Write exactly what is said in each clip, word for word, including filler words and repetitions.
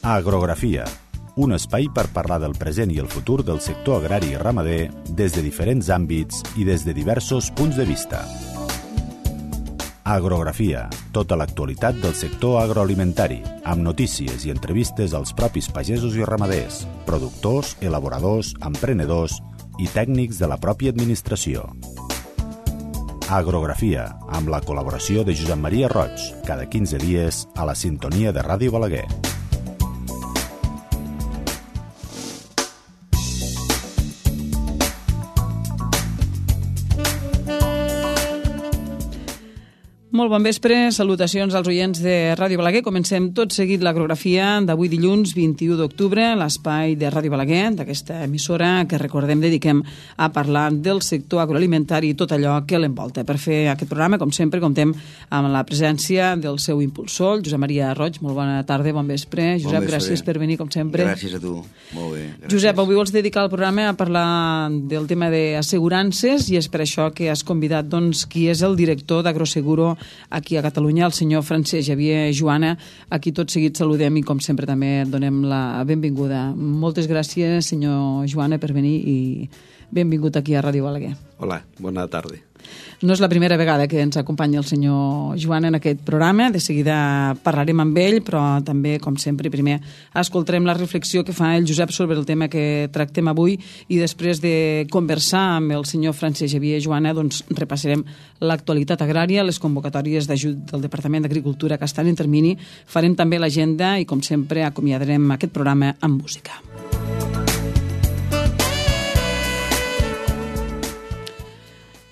Agrografia, un espai per parlar del present i el futur del sector agrari i ramader des de diferents àmbits i des de diversos punts de vista. Agrografia, tota l'actualitat del sector agroalimentari, amb notícies i entrevistes als propis pagesos i ramaders, productors, elaboradors, emprenedors i tècnics de la pròpia administració. Agrografia, amb la col·laboració de Josep Maria Roig, cada quinze dies a la sintonia de Ràdio Balaguer. Molt bon vespre, salutacions als oients de Ràdio Balaguer. Comencem tot seguit l'agrografia d'avui dilluns vint-i-u d'octubre, l'espai de Ràdio Balaguer, d'aquesta emissora que, recordem, dediquem a parlar del sector agroalimentari i tot allò que l'envolta. Per fer aquest programa, com sempre, comptem amb la presència del seu impulsor, el Josep Maria Roig. Molt bona tarda, bon vespre. Josep, bon vespre. Gràcies per venir, com sempre. Gràcies a tu. Molt bé. Gràcies. Josep, avui vols dedicar el programa a parlar del tema d'assegurances i és per això que has convidat doncs, qui és el director d'Agroseguro aquí a Catalunya, el senyor Francesc Xavier Juana, a qui tot seguit saludem i com sempre també donem la benvinguda. Moltes gràcies, senyor Juana, per venir i benvingut aquí a Ràdio Balaguer. Hola, bona tarda. No és la primera vegada que ens acompanya el senyor Joan en aquest programa. De seguida parlarem amb ell, però també, com sempre, primer escoltarem la reflexió que fa el Josep sobre el tema que tractem avui i després de conversar amb el senyor Francesc Xavier Joana, doncs repassarem l'actualitat agrària, les convocatòries d'ajut del Departament d'Agricultura que estan en termini, farem també l'agenda i, com sempre, acomiadarem aquest programa amb música.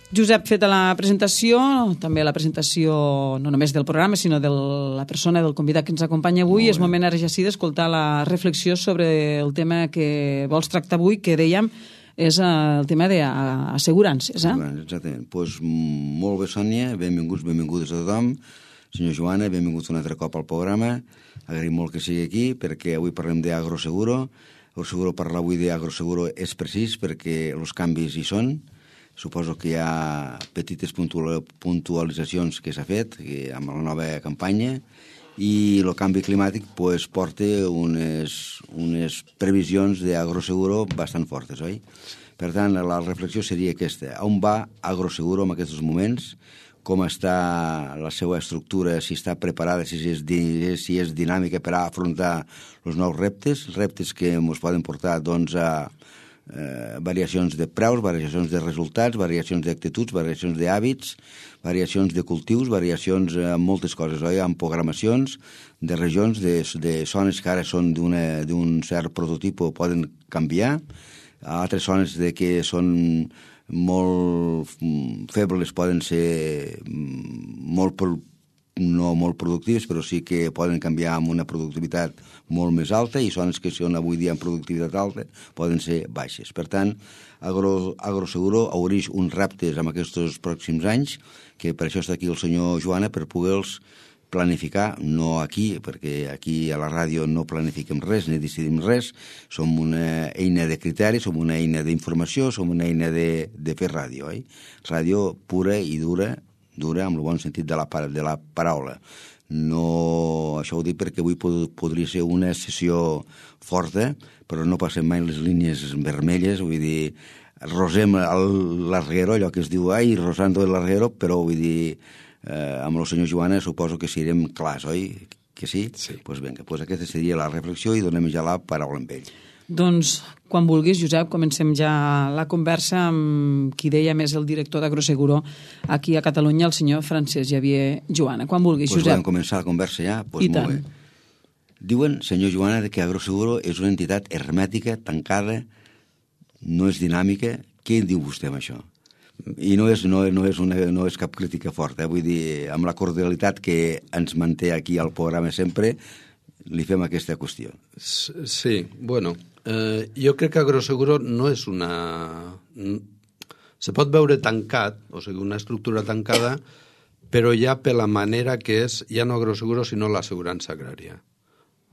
Josep, feta la presentació, també la presentació no només del programa, sinó de la persona, del convidat que ens acompanya avui, és moment ara ja sí d'escoltar la reflexió sobre el tema que vols tractar avui, que dèiem és el tema d'assegurances. Eh? Exactament. Pues, molt bé, Sònia, benvinguts, benvingudes a tothom. Senyor Joana, benvinguts un altre cop al programa. Agraïm molt que sigui aquí, perquè avui parlem d'Agroseguro. Agroseguro, parlar avui d'Agroseguro és precís perquè els canvis hi són. Suposo que hi ha petites puntualitzacions que s'ha fet que amb la nova campanya i el canvi climàtic pues, porta unes, unes previsions d'Agroseguro bastant fortes, oi? Per tant, la reflexió seria aquesta. On va Agroseguro en aquests moments? Com està la seva estructura, si està preparada, si és, si és dinàmica per a afrontar els nous reptes, reptes que ens poden portar doncs, a Eh, variacions de preus, variacions de resultats, variacions d'actituds, variacions d'hàbits, variacions de cultius, variacions en moltes coses, oi? En programacions de regions, de, de zones que ara són d'un cert prototip poden canviar, altres zones de que són molt febles poden ser molt no molt productives, però sí que poden canviar amb una productivitat molt més alta i zones que són avui dia amb productivitat alta poden ser baixes. Per tant, Agro, Agroseguro obreix uns reptes en aquests pròxims anys, que per això està aquí el senyor Joana, per poder-los planificar, no aquí, perquè aquí a la ràdio no planifiquem res, ni decidim res, som una eina de criteri, som una eina d'informació, som una eina de, de fer ràdio, oi? Ràdio pura i dura, dura amb el bon sentit de la, de la paraula. No, això ho dic perquè avui pod, podria ser una sessió forta, però no passem mai les línies vermelles, vull dir, rosem el larguero, allò que es diu, ai, rosando el larguero, però vull dir, eh, amb el senyor Joana suposo que serem clars, oi? Que sí? Sí. Doncs pues vinga, pues aquesta seria la reflexió i donem ja la paraula amb ell. Doncs, quan vulguis, Josep, comencem ja la conversa amb qui deia més el director d'Agroseguro aquí a Catalunya, el senyor Francesc Xavier Joana. Quan vulguis, pues Josep. Podem començar la conversa ja? Pues I molt tant. Bé. Diuen, senyor Joana, que Agroseguro és una entitat hermètica, tancada, no és dinàmica. Què en diu vostè amb això? I no és, no, no és, una, no és cap crítica forta, eh? Vull dir, amb la cordialitat que ens manté aquí al programa sempre, li fem aquesta qüestió. Sí, bueno, eh, jo crec que Agroseguro no és una... Se pot veure tancat, o sigui, una estructura tancada, però ja per la manera que és, ja no Agroseguro, sinó l'assegurança agrària.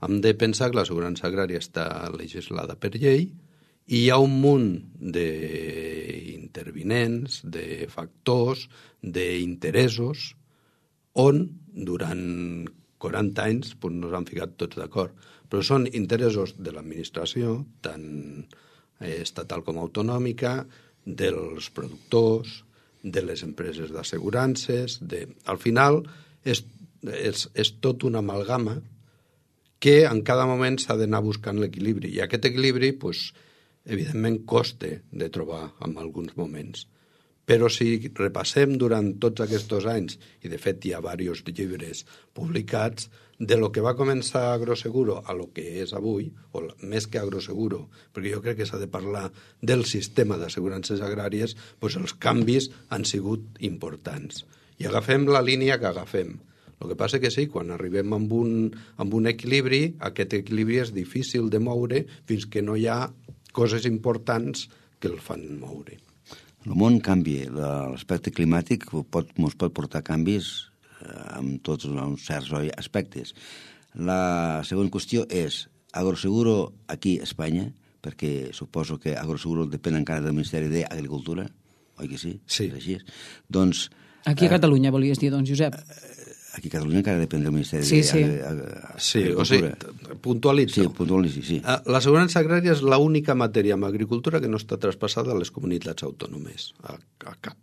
Hem de pensar que l'assegurança agrària està legislada per llei i hi ha un munt d'intervinents, de factors, d'interessos, on durant quaranta anys pues, no s'han ficat tots d'acord. Però són interessos de l'administració, tant estatal com autonòmica, dels productors, de les empreses d'assegurances, de... al final és, és, és tot una amalgama que en cada moment s'ha d'anar buscant l'equilibri. I aquest equilibri, pues, evidentment, costa de trobar en alguns moments. Però si repassem durant tots aquests anys, i de fet hi ha diversos llibres publicats, de lo que va començar Agroseguro a lo que és avui, o més que Agroseguro, perquè jo crec que s'ha de parlar del sistema d'assegurances agràries, doncs els canvis han sigut importants. I agafem la línia que agafem. El que passa que sí, quan arribem amb un, amb un equilibri, aquest equilibri és difícil de moure fins que no hi ha coses importants que el fan moure. El món canvia, l'aspecte climàtic pot, ens pot portar canvis en tots uns certs aspectes. La següent qüestió és Agroseguro aquí a Espanya, perquè suposo que Agroseguro depèn encara del Ministeri d'Agricultura, oi que sí? Sí. És així. Doncs, aquí a Catalunya, volies dir, doncs, Josep? Aquí a Catalunya encara depèn del Ministeri sí, sí. d'Agricultura. Sí, o sigui, puntualitzo. Sí, puntualitzo, sí. L'assegurança agrària és l'única matèria en agricultura que no està traspassada a les comunitats autònomes, a, a cap.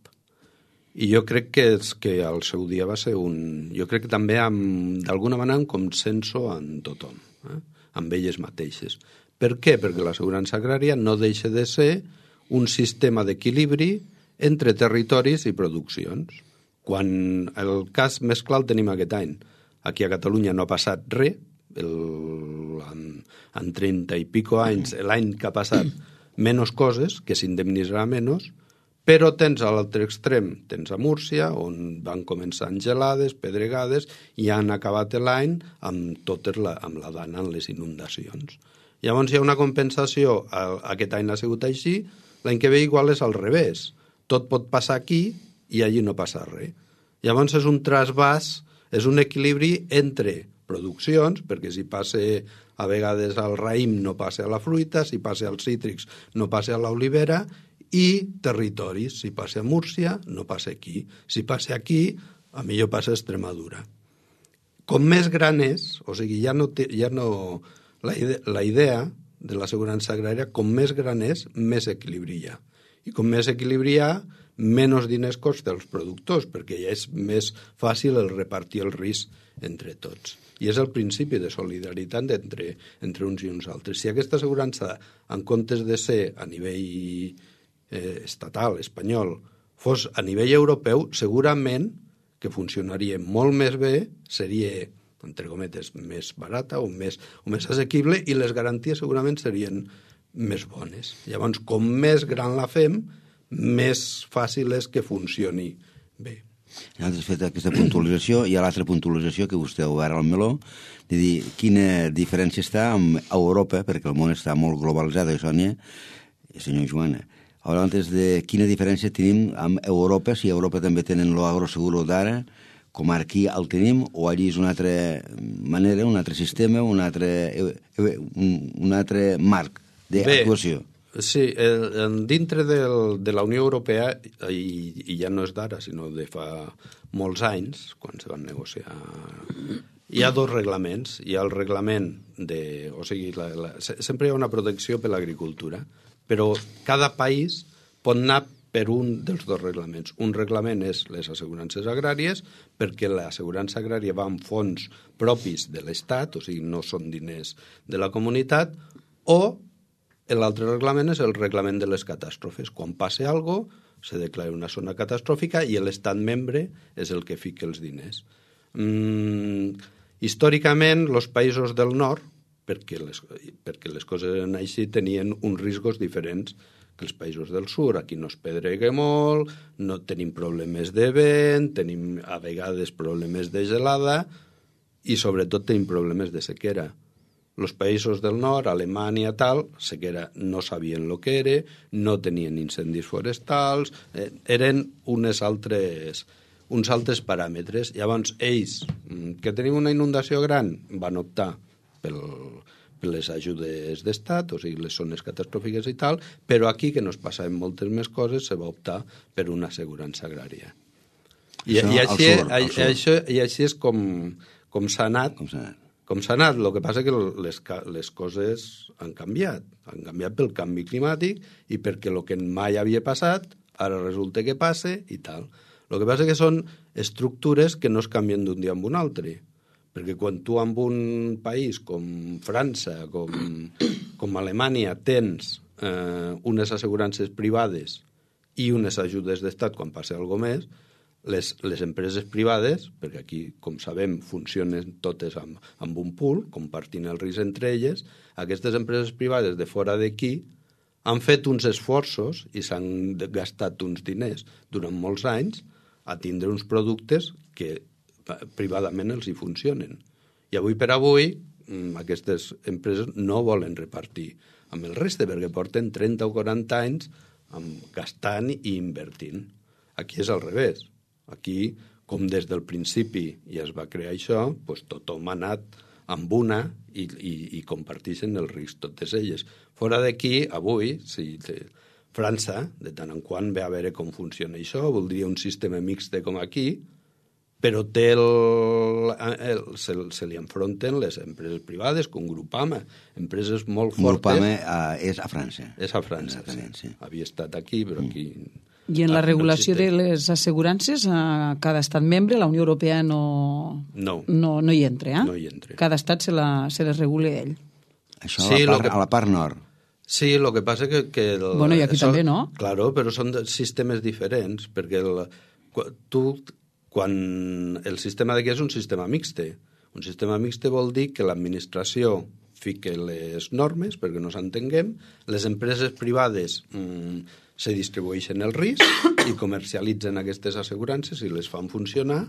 I jo crec que, és, que al seu dia va ser un... Jo crec que també d'alguna manera un consenso en tothom, eh? Amb elles mateixes. Per què? Perquè l'assegurança agrària no deixa de ser un sistema d'equilibri entre territoris i produccions. Quan el cas més clar el tenim aquest any. Aquí a Catalunya no ha passat res, el, en, en trenta i pico anys, l'any que ha passat, menys coses, que s'indemnitzarà menys, però tens a l'altre extrem, tens a Múrcia, on van començar gelades, pedregades, i han acabat l'any amb, totes la, amb la dana en les inundacions. Llavors hi ha una compensació, aquest any ha sigut així, l'any que ve igual és al revés. Tot pot passar aquí i allí no passa res. Llavors és un trasbàs, és un equilibri entre produccions, perquè si passa a vegades al raïm no passa a la fruita, si passa als cítrics no passa a l'olivera, i territoris, si passa a Múrcia no passa aquí, si passa aquí a millor passa a Extremadura. Com més gran és, o sigui, ja no, té, ja no la, idea, la idea de l'assegurança agrària, com més gran és, més equilibri hi ha. I com més equilibri hi ha, menys diners costa als productors, perquè ja és més fàcil el repartir el risc entre tots. I és el principi de solidaritat entre, entre uns i uns altres. Si aquesta assegurança, en comptes de ser a nivell eh, estatal, espanyol, fos a nivell europeu, segurament que funcionaria molt més bé, seria, entre cometes, més barata o més, o més assequible, i les garanties segurament serien més bones. Llavors, com més gran la fem, més fàcil és que funcioni bé. Ja has fet aquesta puntualització, i hi ha l'altra puntualització que vostè ha obert al meló, de dir quina diferència està amb Europa, perquè el món està molt globalitzat, Sònia, senyor Joana. Abans de quina diferència tenim amb Europa, si a Europa també tenen l'Agroseguro d'ara, com aquí el tenim, o allí és una altra manera, un altre sistema, un altre, un, un altre marc d'actuació. Sí, el, dintre del, de la Unió Europea, i, i ja no és d'ara, sinó de fa molts anys, quan se van negociar, hi ha dos reglaments. Hi ha el reglament de... O sigui, la, la, sempre hi ha una protecció per l'agricultura, però cada país pot anar per un dels dos reglaments. Un reglament és les assegurances agràries, perquè l'assegurança agrària va amb fons propis de l'Estat, o sigui, no són diners de la comunitat, o l'altre reglament és el reglament de les catàstrofes. Quan passa alguna cosa, se declara una zona catastròfica i l'Estat membre és el que fica els diners. Mm, històricament, els països del nord, perquè les, perquè les coses eren així, tenien uns riscos diferents que els països del sud. Aquí no es pedrega molt, no tenim problemes de vent, tenim a vegades problemes de gelada i sobretot tenim problemes de sequera. Els països del nord, Alemanya, tal, sequera no sabien el que era, no tenien incendis forestals, eh, eren unes altres, uns altres paràmetres. Llavors, ells, que tenien una inundació gran, van optar pel, per les ajudes d'estat, o sigui, les zones catastròfiques i tal, però aquí, que no es passaven moltes més coses, se va optar per una assegurança agrària. I, això, i, així, sur, això, I així és com... com s'ha anat, Com s'ha anat. com s'ha anat. El que passa que les, les coses han canviat. Han canviat pel canvi climàtic i perquè el que mai havia passat, ara resulta que passa i tal. El que passa que són estructures que no es canvien d'un dia amb un altre. Perquè quan tu en un país com França, com, com Alemanya, tens eh, unes assegurances privades i unes ajudes d'estat quan passa alguna més, les, les empreses privades, perquè aquí, com sabem, funcionen totes amb, amb un pool, compartint el risc entre elles, aquestes empreses privades de fora d'aquí han fet uns esforços i s'han gastat uns diners durant molts anys a tindre uns productes que privadament els hi funcionen. I avui per avui aquestes empreses no volen repartir amb el reste perquè porten trenta o quaranta anys gastant i invertint. Aquí és al revés. Aquí, com des del principi ja es va crear això, doncs tothom ha anat amb una i, i, i comparteixen el risc totes elles. Fora d'aquí, avui, si França, de tant en quant ve a veure com funciona això, voldria un sistema mixte com aquí, però té el, el, se, se li enfronten les empreses privades, com Groupama, empreses molt fortes. Groupama uh, és a França. És a França, sí. sí. Havia estat aquí, però aquí... I en la regulació no de les assegurances, a cada estat membre, la Unió Europea no, no. no, no hi entra, eh? No hi entra. Cada estat se, la, se les regula ell. Això sí, a, la part, que... a la part nord. Sí, el que passa que... que el, bueno, i aquí això, també, no? Claro, però són sistemes diferents, perquè el, tu... quan el sistema d'aquí és un sistema mixte. Un sistema mixte vol dir que l'administració fica les normes, perquè no s'entenguem, les empreses privades mmm, se distribueixen el risc i comercialitzen aquestes assegurances i les fan funcionar,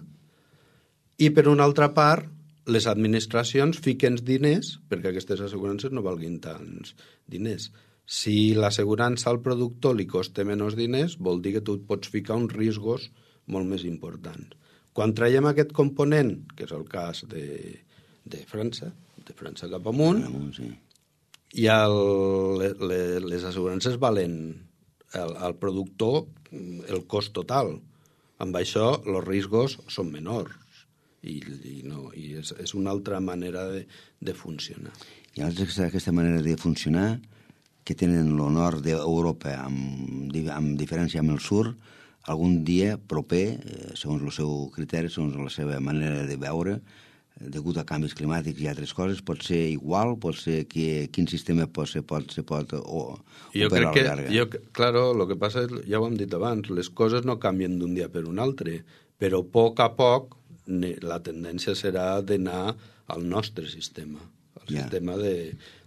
i per una altra part, les administracions fiquen diners perquè aquestes assegurances no valguin tants diners. Si l'assegurança al productor li costa menys diners, vol dir que tu pots ficar uns riscos molt més important. Quan traiem aquest component, que és el cas de, de França, de França cap amunt, amunt sí. i el, le, les assegurances valen al, al productor el cost total. Amb això, els riscos són menors i, i, no, i és, és una altra manera de, de funcionar. I altres aquesta manera de funcionar que tenen el nord d'Europa amb, amb diferència amb el sud, algun dia proper, segons el seu criteri, segons la seva manera de veure, degut a canvis climàtics i altres coses, pot ser igual, pot ser que quin sistema pot ser, pot, se pot o, jo operar crec que, a la llarga. Jo, claro, el que passa és, ja ho hem dit abans, les coses no canvien d'un dia per un altre, però a poc a poc la tendència serà d'anar al nostre sistema, al yeah. sistema de,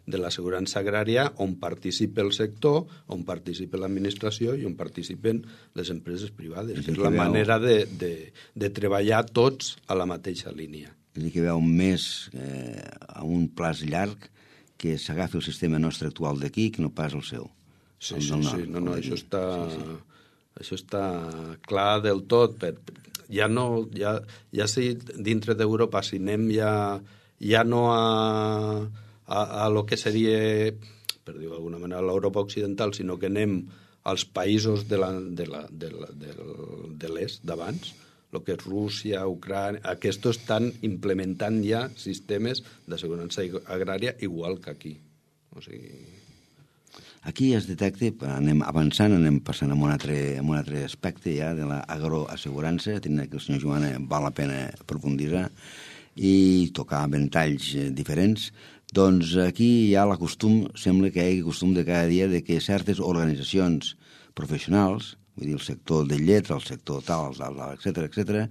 de l'assegurança agrària, on participa el sector, on participa l'administració i on participen les empreses privades. És, és la veu... manera de, de, de treballar tots a la mateixa línia. És a dir, que veu més eh, a un plaç llarg que s'agafi el sistema nostre actual d'aquí que no pas el seu. Sí, el sí, nord, sí. No, no, això està, sí, sí. això està clar del tot. Per, ja no, ja, ja si dintre d'Europa, si anem ja, ja no a, a, a lo que seria, per dir-ho d'alguna manera, l'Europa occidental, sinó que anem als països de la, de la, de la, de la, de l'est d'abans, el que és Rússia, Ucrània, aquests estan implementant ja sistemes d'assegurança agrària igual que aquí. O sigui... Aquí es detecta, anem avançant, anem passant a un altre, a un altre aspecte ja de l'agroassegurança, tenint que el senyor Joana val la pena profunditzar i tocar ventalls diferents. Doncs aquí hi ha la costum, sembla que hi hagi costum de cada dia de que certes organitzacions professionals, vull dir, el sector de lletra, el sector tal, etcètera, etcètera,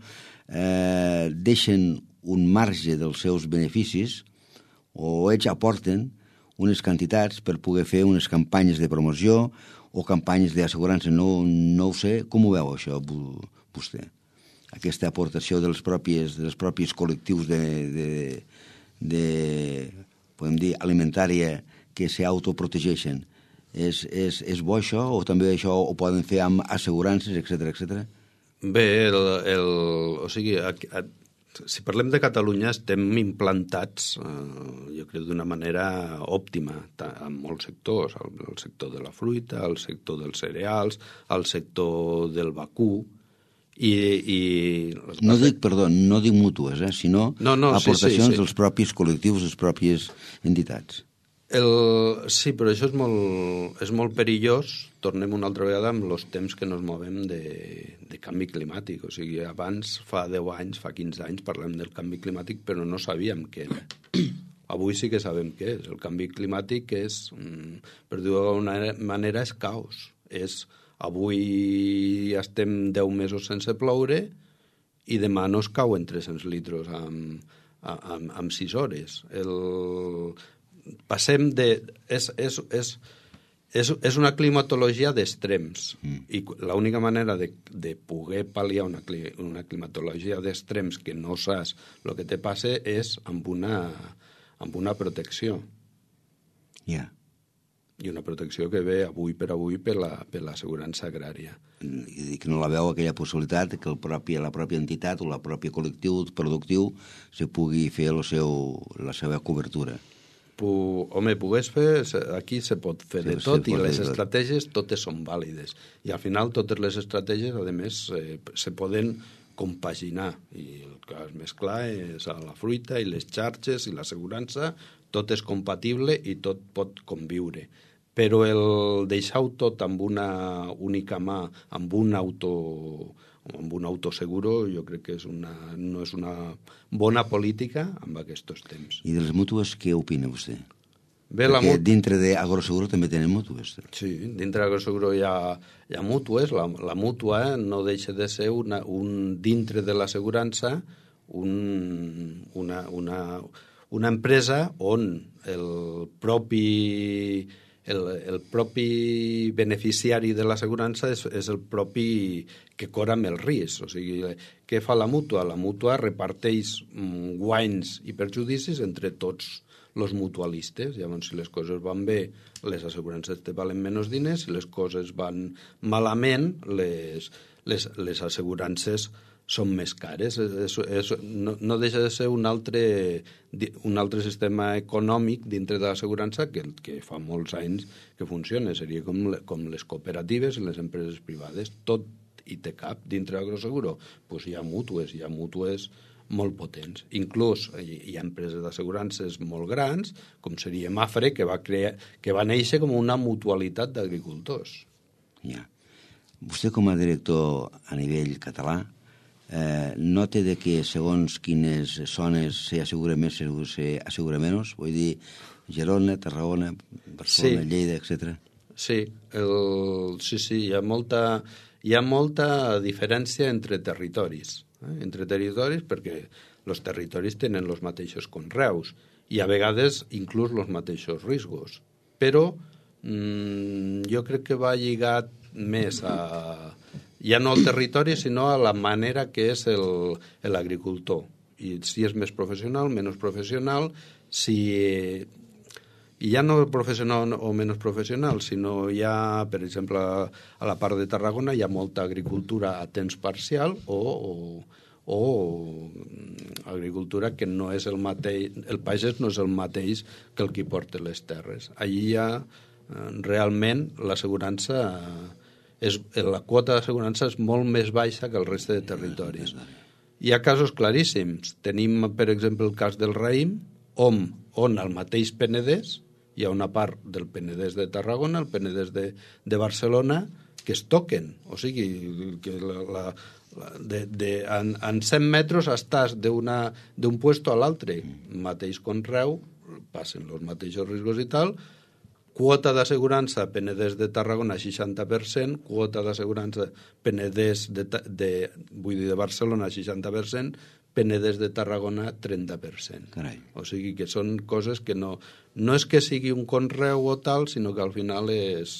eh, deixen un marge dels seus beneficis o ells aporten unes quantitats per poder fer unes campanyes de promoció o campanyes d'assegurança. No, no ho sé. Com ho veu, això, vostè? Aquesta aportació dels propis, dels propis col·lectius de, de, de, podem dir, alimentària que s'autoprotegeixen. És, és, és bo això o també això ho poden fer amb assegurances, etcètera, etcètera? Bé, el, el, o sigui, a, a, si parlem de Catalunya estem implantats, eh, jo crec, d'una manera òptima en molts sectors, el, el sector de la fruita, el sector dels cereals, el sector del vacú, I, i... No dic, perdó, no dic mútues, eh, sinó no, no, aportacions sí, sí, sí. dels propis col·lectius, les pròpies entitats. El... Sí, però això és molt, és molt perillós, tornem una altra vegada amb els temps que ens movem de, de canvi climàtic. O sigui, abans, fa deu anys, fa quinze anys, parlem del canvi climàtic, però no sabíem què era. Avui sí que sabem què és. El canvi climàtic és, per dir-ho d'alguna manera, és caos. És, avui estem deu mesos sense ploure i demà no es cauen tres-cents litres amb, amb, amb sis hores. El... Passem de... És, és, és, és, és una climatologia d'extrems mm. i l'única manera de, de poder pal·liar una, una climatologia d'extrems que no saps el que te passa és amb una, amb una protecció. Ja. Yeah. I una protecció que ve avui per avui per la, per l'assegurança agrària. I que no la veu aquella possibilitat que el propi, la pròpia entitat o la pròpia col·lectiu productiu se pugui fer el seu, la seva cobertura. Pu, home, pogués fer, aquí se pot fer de tot i les estratègies totes són vàlides. I al final totes les estratègies, a més, eh, se poden compaginar. I el cas més clar és a la fruita i les xarxes i l'assegurança, tot és compatible i tot pot conviure. Però el deixar-ho tot amb una única mà, amb un auto, amb un autoseguro, jo crec que és una, no és una bona política en aquests temps. I de les mútues, què opina vostè? Bé, Perquè la mut... dintre d'Agroseguro també tenen mútues. Sí, dintre d'Agroseguro hi ha, hi ha mútues. La, la mútua no deixa de ser una, un, dintre de l'assegurança un, una, una, una empresa on el propi... El, el propi beneficiari de l'assegurança és, és el propi que corre amb el risc. O sigui, què fa la mútua? La mútua reparteix mm, guanys i perjudicis entre tots els mutualistes. Llavors, si les coses van bé, les assegurances te valen menys diners, si les coses van malament, les, les, les assegurances són més cares. És, és, no, no deixa de ser un altre, un altre sistema econòmic dintre de l'assegurança que, que fa molts anys que funciona. Seria com, com les cooperatives i les empreses privades. Tot hi té cap dintre d'Agroseguro. Pues hi ha mútues, hi ha mútues molt potents. Inclús hi, hi ha empreses d'assegurances molt grans, com seria Mafre, que va, crear, que va néixer com una mutualitat d'agricultors. Ja. Vostè, com a director a nivell català, Eh, nota de que segons quines zones s'assegura més, s'assegura menys, vull dir Girona, Tarragona, Barcelona, sí. Lleida, etcètera. Sí, el, sí, sí, hi ha molta, hi ha molta diferència entre territoris, eh? entre territoris perquè els territoris tenen els mateixos conreus i a vegades inclús els mateixos riscos, però mmm, jo crec que va lligat més a... ja no al territori, sinó a la manera que és l'agricultor. I si és més professional, menys professional, si... I ja no professional o menys professional, sinó ja, per exemple, a la part de Tarragona hi ha molta agricultura a temps parcial o, o, o agricultura que no és el mateix... El pagès no és el mateix que el qui porta les terres. Allí ja, realment, l'assegurança... És, la quota d'assegurança és molt més baixa que el reste de territoris. Hi ha casos claríssims. Tenim, per exemple, el cas del raïm, on, on al mateix Penedès hi ha una part del Penedès de Tarragona, el Penedès de, de Barcelona, que es toquen. O sigui, que la, la, la, de, de, en, en cent metres estàs d'un puesto a l'altre. Mateix conreu, passen els mateixos riscos i tal. Quota d'assegurança Penedès de Tarragona seixanta per cent, quota d'assegurança Penedès de, de, vull dir de Barcelona seixanta per cent, Penedès de Tarragona trenta per cent. Carai. O sigui que són coses que no... No és que sigui un conreu o tal, sinó que al final és,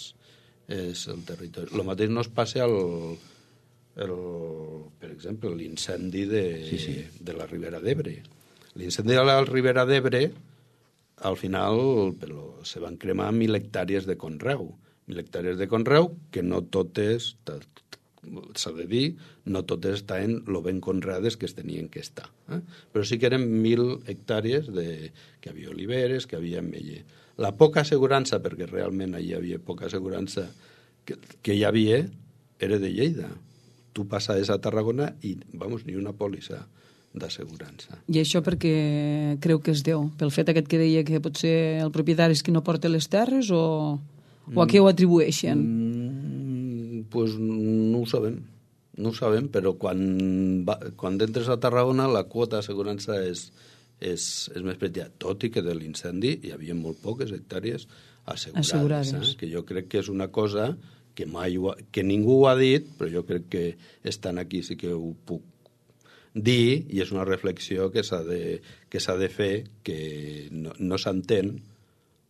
és el territori. El mateix no es passa al... El, per exemple, l'incendi de, sí, sí. de la Ribera d'Ebre. L'incendi de la Ribera d'Ebre, al final però, se van cremar mil hectàrees de conreu. Mil hectàrees de conreu que no totes, s'ha de dir, no totes estaven lo ben conreades que es tenien que estar. Eh? Però sí que eren mil hectàrees de, que hi havia oliveres, que hi havia ametller. La poca assegurança, perquè realment hi havia poca assegurança que, que hi havia, era de Lleida. tu passaves a Tarragona i, vamos, ni una pòlissa d'assegurança. I això perquè creu que es deu? Pel fet aquest que deia que potser el propietari és qui no porta les terres o, o a què ho atribueixen? Mm, pues no ho sabem. No ho sabem, però quan, va, quan entres a Tarragona la quota d'assegurança és, és, és més petita, tot i que de l'incendi hi havia molt poques hectàrees assegurades, assegurades. Eh? Que jo crec que és una cosa que, mai ho ha, que ningú ho ha dit, però jo crec que estan aquí sí que ho puc dir, i és una reflexió que s'ha de, que s'ha de fer, que no, no s'entén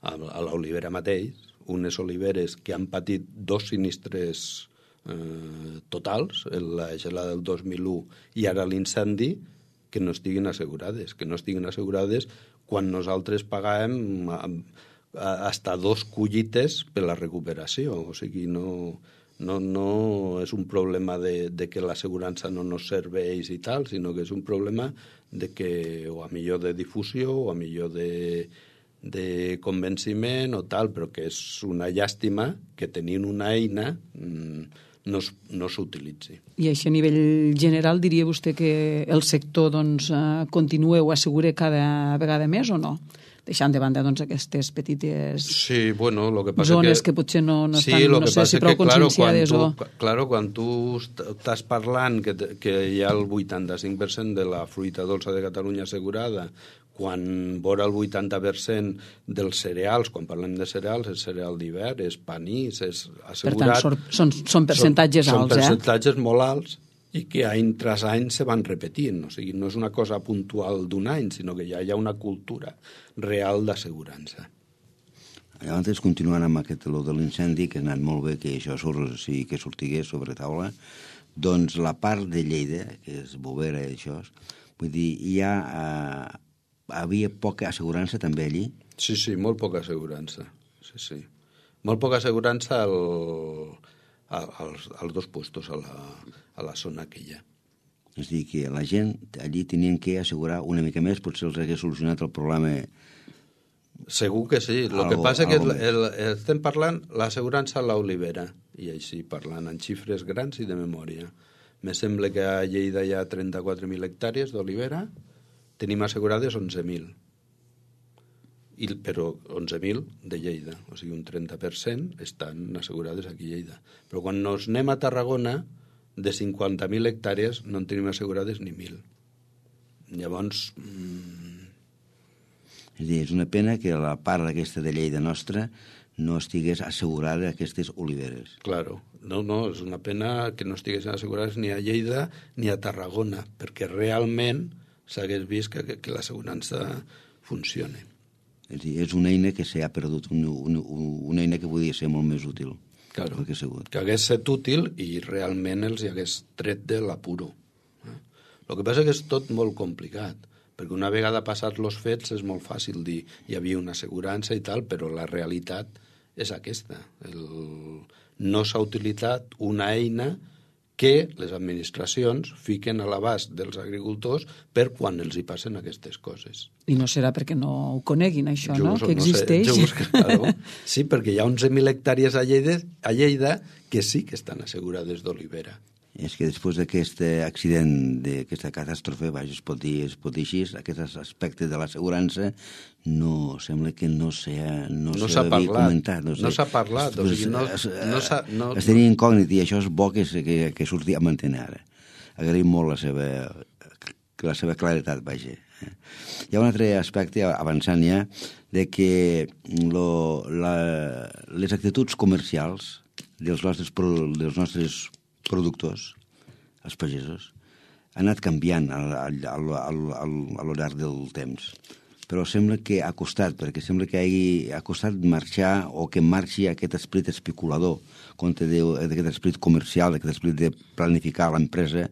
a, a l'olivera mateix, unes oliveres que han patit dos sinistres Eh, totals, la gelada del dos mil u i ara l'incendi, que no estiguin assegurades, que no estiguin assegurades quan nosaltres pagàvem hasta dos collites per la recuperació. O sigui, no, no, no és un problema de, de que l'assegurança no nos serveix i tal, sinó que és un problema de que, o a millor de difusió, o a millor de, de convenciment o tal, però que és una llàstima que tenint una eina mmm, no, no s'utilitzi. I així a nivell general diria vostè que el sector doncs, continua o assegura cada vegada més o no? Deixant de banda doncs, aquestes petites sí, bueno, lo que passa zones que, que potser no, no sí, estan, no sé si prou que, conscienciades claro, o... Tu, claro, quan tu estàs parlant que, que hi ha el vuitanta-cinc per cent de la fruita dolça de Catalunya assegurada, quan vora el vuitanta per cent dels cereals, quan parlem de cereals, és cereal d'hivern, és panís, és assegurat... Per tant, són, són percentatges són, alts, són eh? Són percentatges molt alts i que any tras any se van repetint. O sigui, no és una cosa puntual d'un any, sinó que ja hi ha una cultura real d'assegurança. Llavors, continuant amb aquest lo de l'incendi, que ha anat molt bé que això surt, sí, que sortigués sobre taula, doncs la part de Lleida, que és Bovera i això, vull dir, hi ha... Eh, havia poca assegurança també allí? Sí, sí, molt poca assegurança. Sí, sí. Molt poca assegurança al, al, als, als dos puestos, a la, a la zona aquella. És a dir, que la gent allí tenien que assegurar una mica més, potser els hagués solucionat el problema... Segur que sí. El que passa és que el, el, estem parlant l'assegurança a l'olivera, i així parlant en xifres grans i de memòria. Me sembla que a Lleida hi ha trenta-quatre mil hectàrees d'olivera, tenim assegurades onze mil, I, però onze mil de Lleida, o sigui un trenta per cent estan assegurades aquí a Lleida. Però quan nos anem a Tarragona, de cinquanta mil hectàrees no en tenim assegurades ni mil. Llavors... Mmm... És a dir, és una pena que la part aquesta de Lleida nostra no estigués assegurada aquestes oliveres. Claro, no, no, és una pena que no estiguessin assegurades ni a Lleida ni a Tarragona, perquè realment s'hagués vist que, que, que l'assegurança funciona. És dir, és una eina que s'ha perdut, una, una, una eina que podia ser molt més útil. Claro, que, que hagués estat útil i realment els hi hagués tret de l'apuro. Eh? El que passa és que és tot molt complicat, perquè una vegada passats els fets és molt fàcil dir hi havia una assegurança i tal, però la realitat és aquesta. El... No s'ha utilitzat una eina que les administracions fiquen a l'abast dels agricultors per quan els hi passen aquestes coses. I no serà perquè no ho coneguin, això, jo no? Us, que existeix. No sé, jo us, claro. Sí, perquè hi ha onze mil hectàrees a Lleida, a Lleida que sí que estan assegurades d'olivera. És que després d'aquest accident, d'aquesta catàstrofe, vaja, es pot dir, es pot dir així, aquest aspecte de l'assegurança no, sembla que no s'ha no no s'ha comentat. No, no s'ha parlat, o sigui, no, no s'ha... No, es tenia incògnit i això és bo que, que, que surti a mantenir ara. Agraïm molt la seva, la seva claretat, vaja. Hi ha un altre aspecte, avançant ja, de que lo, la, les actituds comercials dels nostres, dels nostres productors, els pagesos, han anat canviant al, al, al, al, al, a lo llarg del temps. Però sembla que ha costat, perquè sembla que hagi, ha costat marxar o que marxi aquest esperit especulador contra d'aquest esperit comercial, d'aquest esperit de planificar l'empresa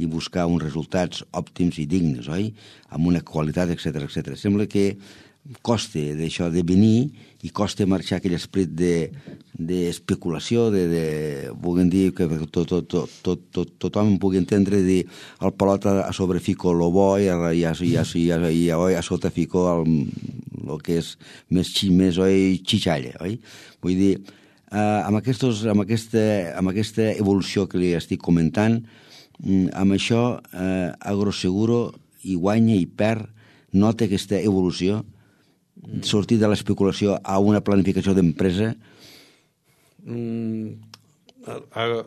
i buscar uns resultats òptims i dignes, oi? Amb una qualitat, etcètera, etcètera. Sembla que costa d'això de venir i costa marxar aquell esperit d'especulació, de, de, de, vulguem dir que tot, tot, tot, tot, tot, tothom pugui entendre dir el pelot a sobre fico lo bo i a, i a, i a, i a, i a, a sota fico el, el que és més, més oi, xixalla, oi? Vull dir, Uh, amb, aquestos, amb, aquesta, amb aquesta evolució que li estic comentant, um, amb això uh, Agroseguro hi guanya i perd, nota aquesta evolució, mm. sortir de l'especulació a una planificació d'empresa? Mm,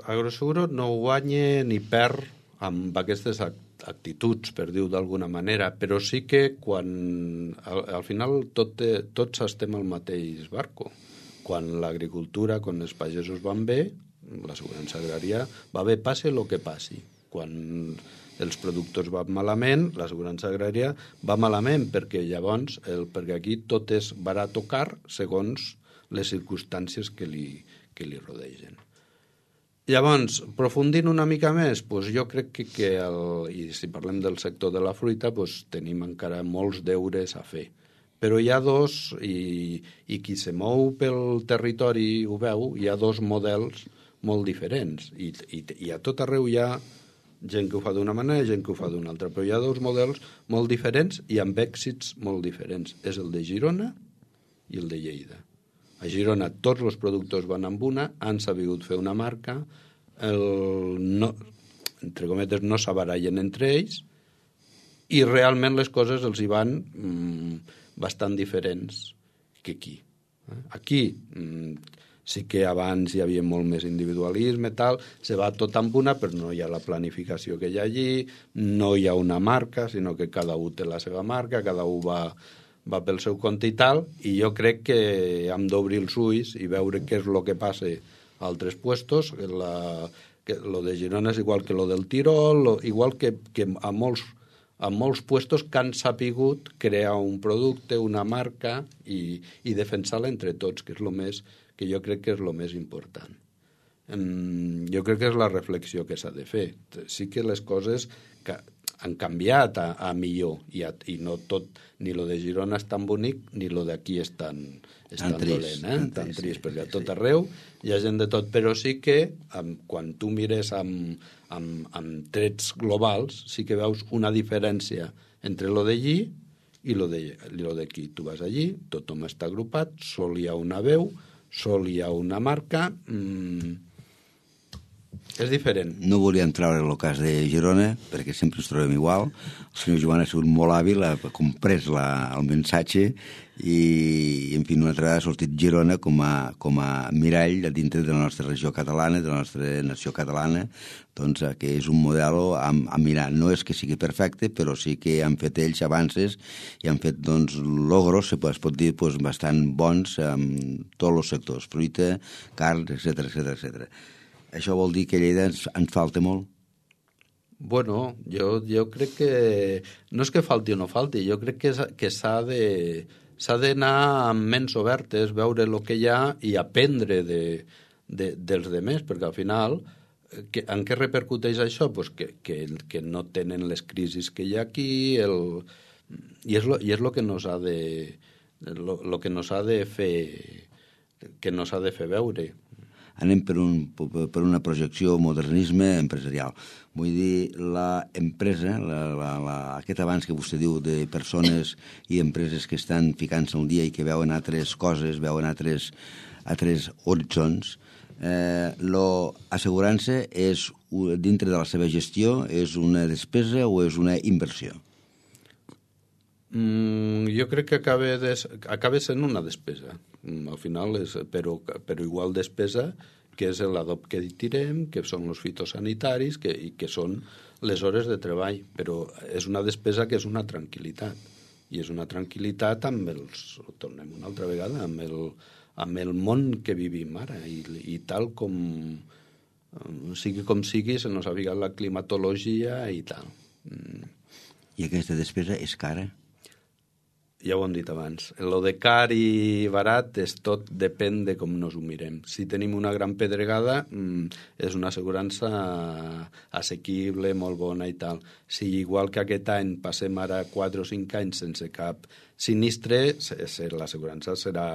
Agroseguro no guanya ni perd amb aquestes actituds, per dir-ho d'alguna manera, però sí que quan al, al final tot, tots estem al mateix barco. Quan l'agricultura, quan els pagesos van bé, l'assegurança agrària va bé, passe el que passi. Quan els productors van malament, l'assegurança agrària va malament, perquè llavors, el, perquè aquí tot és barat o car segons les circumstàncies que li, que li rodegen. Llavors, aprofundint una mica més, doncs jo crec que, que el, i si parlem del sector de la fruita, doncs tenim encara molts deures a fer. Però hi ha dos, i, i qui se mou pel territori ho veu, hi ha dos models molt diferents. I, i, i a tot arreu hi ha gent que ho fa d'una manera i gent que ho fa d'una altra. Però hi ha dos models molt diferents i amb èxits molt diferents. És el de Girona i el de Lleida. A Girona tots els productors van amb una, han sabut fer una marca, el no, entre cometes no s'abarallen entre ells, i realment les coses els hi van mmm, bastant diferents que aquí. Aquí mmm, sí que abans hi havia molt més individualisme, tal, se va tot amb una, però no hi ha la planificació que hi ha allí, no hi ha una marca, sinó que cada un té la seva marca, cada un va, va pel seu compte i tal, i jo crec que hem d'obrir els ulls i veure què és el que passa a altres puestos. La, que lo de Girona és igual que lo del Tirol, lo, igual que, que a molts a molts puestos que han sapigut crear un producte, una marca i, i defensar-la entre tots, que és lo més, que jo crec que és el més important. Um, jo crec que és la reflexió que s'ha de fer. Sí que les coses que han canviat a, a millor i, a, i no tot, ni lo de Girona és tan bonic ni lo d'aquí és tan, és tan, tan dolent, eh? tan trist, sí, perquè a tot arreu hi ha gent de tot, però sí que um, quan tu mires amb, amb, amb trets globals sí que veus una diferència entre lo d'allí i lo d'aquí. Tu vas allí, tothom està agrupat, sol hi ha una veu, sol hi ha una marca, mmm, és diferent. No volíem treure el cas de Girona, perquè sempre ens trobem igual. El senyor Joan ha sigut molt hàbil, ha comprès la, el missatge i, en fi, una altra vegada ha sortit Girona com a, com a mirall dintre de la nostra regió catalana, de la nostra nació catalana, doncs, que és un model a, a mirar. No és que sigui perfecte, però sí que han fet ells avances i han fet, doncs, logros, es pot dir, doncs, bastant bons en tots els sectors, fruita, carn, etcètera, etcètera, etcètera. Això vol dir que a Lleida ens, ens falta molt? Bueno, jo, jo crec que no és que falti o no falti, jo crec que, que s'ha de s'ha d'anar amb ments obertes, veure el que hi ha i aprendre de, de, dels demés, perquè al final que, en què repercuteix això? Pues que, que, que no tenen les crisis que hi ha aquí, el, i és lo, i és lo que nos ha de lo, lo que nos ha de fer que nos ha de fer veure. Anem per, un, per una projecció modernisme empresarial. Vull dir, l'empresa, la, la, la, aquest avanç que vostè diu de persones i empreses que estan ficant-se al dia i que veuen altres coses, veuen altres, altres horitzons, eh, l'assegurança és, dintre de la seva gestió, és una despesa o és una inversió? Mm, jo crec que acaba, des, acaba sent una despesa. Al final, és, però, però igual despesa que és l'adob que tirem, que són els fitosanitaris que, i que són les hores de treball. Però és una despesa que és una tranquil·litat. I és una tranquil·litat amb els... Tornem una altra vegada, amb el, amb el món que vivim ara. I, i tal com... Sigui com sigui, se nos ha ficat la climatologia i tal. Mm. I aquesta despesa és cara? Ja ho hem dit abans. Lo de car i barat és tot depèn de com nos ho mirem. Si tenim una gran pedregada, mmm, és una assegurança assequible, molt bona i tal. Si igual que aquest any passem ara quatre o cinc anys sense cap sinistre, l'assegurança serà